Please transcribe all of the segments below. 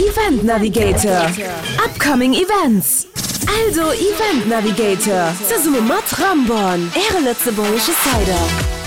Event Navigator, Upcoming Events. Eldo Event Navigator, zesumme mat Ramborn, Äre lëtzebuergesche Cider.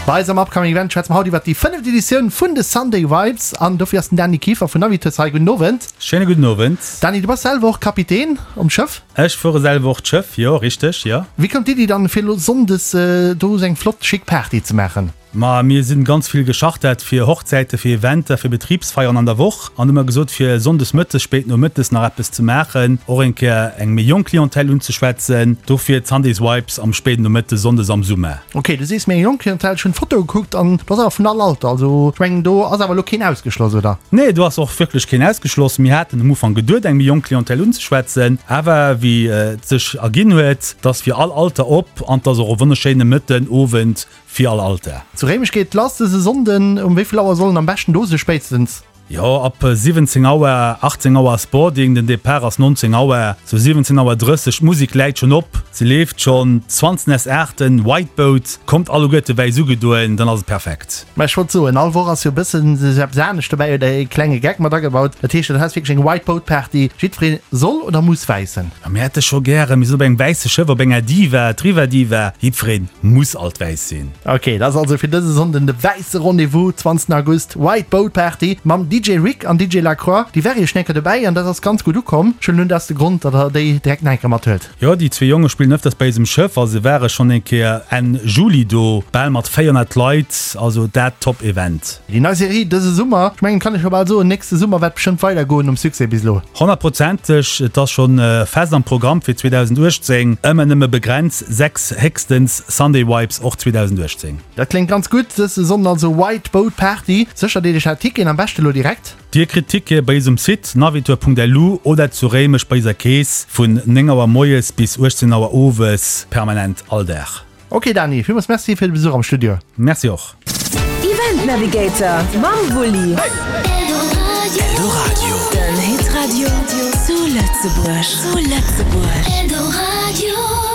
Bei eis am Upcoming Event schwätze mer haut iwwert déi fënneft Editioun vun de Sunday Vibes an dofir ass den Dany Kieffer vun Navitus hei. Gudden Owend. Schéine gudden Owend. Dany, du bass selwer och Kapitän um Schëff? Ech fuere selwer och d'Schëff, jo, richteg, jo. Wéi koum d'Iddi dann fir elo Sonndes do esou eng flott schick Party ze maachen? Ma mir sinn ganz vill geschartert fir Hochzäiten, fir Eventer, fir Betribsfeieren an der Woch an hu mer gesot fir Sonndes mëttes, spéit nomëttes nach eppes ze maachen, och eng Kéier eng méi jonk Clientèle unzeschwätzen. Dofir d'Sundays Vibes am spéiden Nomëtte Sonndes am Summer. Ok, du sees méi eng jonk Clientèle, ech hunn d'Foto gekuckt an do ass awer vun all Alter, also ech mengen do ass awer elo keen ausgeschloss, oder? Nee, do ass och wierklech keen ausgeschloss. Mir haten um Ufank geduet eng méi jonk Clientèle unzeschwätzen, awer wéi et sech erginn huet, 't ass fir all Alter op an 't ass och e wonnerschéine Mëtten, Owend Fir all Alter. Zu Réimech geet et lass dëse Sonnden. Um wéi vill Auer soll en am beschten do si spéitstens? Jo, ab 17 Auer, 18 Auer ass Boarding, den Depart ass 19 Auer, sou 17 Auer 30. D'Musek läit schonn op, se leeft schonn. 20 s 8, White Boat, kommt alleguerte wäiss ugedoen, dann ass et perfekt. Mä ech wollt soen, all Woch ass jo e bëssen eppes anescht dobäi oder e klenge Geck mat agebaut. Dat heescht, dat ass wierklech eng White Boat Party. Jiddweree soll oder muss wäiss sinn. Ma mir hätte scho gären, mir sinn op engem wäisse Schëff, op enger Diva, d'Riva Diva. Jiddwereen muss alt wäiss sinn. Ok, dat ass also fir dëse Sonnden de wäisse Rendez-vous, 20 August, White Boat Party mam DJ Rick an DJ Lacroix. Déi ware jo schon eng Kéier dobäi an dat ass ganz gutt ukomm. Ech huelen un, dat ass de Grond, datt der déi direkt nach eng Kéier mathuelt. Jo, déi zwee Jonge spillen ëfters bei eisem Schëff a se ware schonn eng Kéier Enn Juli do, bal mat 400 Leit, also dat Top Event. Déi nei Serie dëse Summer, ech mengen, kann ech scho bal soen, nächste Summer wäert bestëmmt weider goen nom Succès bis elo. Honnertprozenteg, et ass schonn fest am Programm fir 2018, ëmmer nëmme begrenz 6 héchstens Sunday Vibes och 2018. Dat kléngt ganz gutt, dëse Sonnden also White Boat Party. Séchert Iech är Ticketen am beschte lo direkt. Dir kritt Tickete bei eis um Site navitour.lu oder zu Réimech bei eiser Kees vun 9 Auer moies bis 18 Auer owes, permanent all Dag. Ok Dani, villmools Merci fir de Besuch am Studio. Merci och. Event Navigator mam Wulli. Eldoradio. Den Hitradio zu Lëtzebuerg. Zu Lëtzebuerg. Eldoradio.